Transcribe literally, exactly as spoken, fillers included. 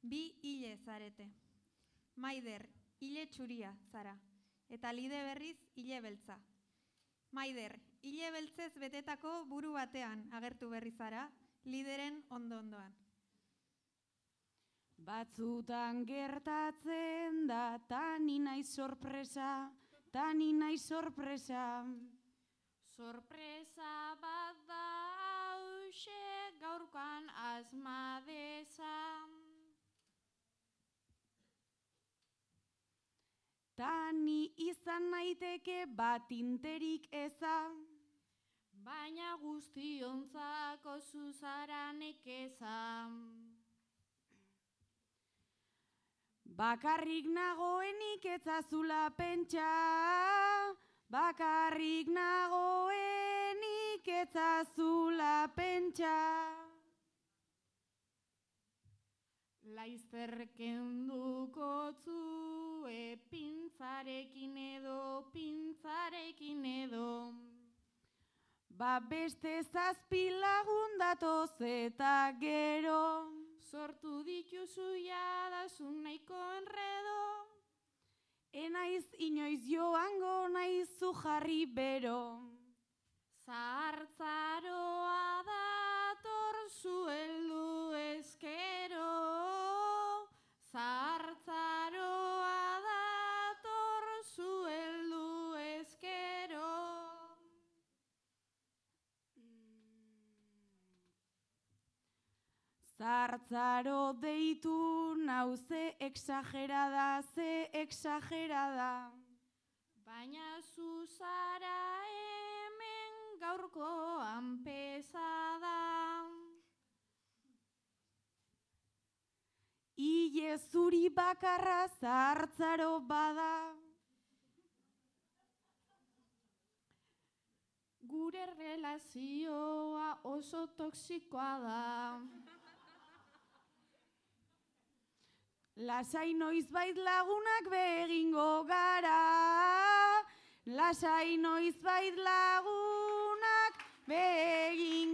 Bi hile zarete. Maider, hile txuria zara, eta Lide berriz hile beltza. Maider, hile beltzez betetako buru batean agertu berri zara, Lideren ondo-ondoan. Batzutan gertatzen da, tani naiz sorpresa, tani naiz sorpresa. Sorpresa bat da hauxe gaurkoan asmadeza. Tani izan naiteke bat interik eza, baina guztiontzako zuzara nekeza. Bakarrik nagoenik etzazula pentsa, bakarrik nagoenik etzazula pentsa. Laizter kenduko zue pintzarekin edo, pintzarekin edo. Ba beste zazpi lagun datoz eta gero. Sortu dituzu jadasun nahiko enredo. Enaiz inoiz joango naizu jarri bero. Zahartzaroa dator zueldu ezkero. Zahartzaroa dator zueldu ezkero. Zahartzaro deitu nau ze exagerada, ze exagerada. Baina zuzara hemen gaurkoan pesada. Ile zuri bakarra zahartzaro bada. Gure relazioa oso toxikoa da. Lasai noizbait lagunak begingo gara. Lasai noizbait lagunak begingo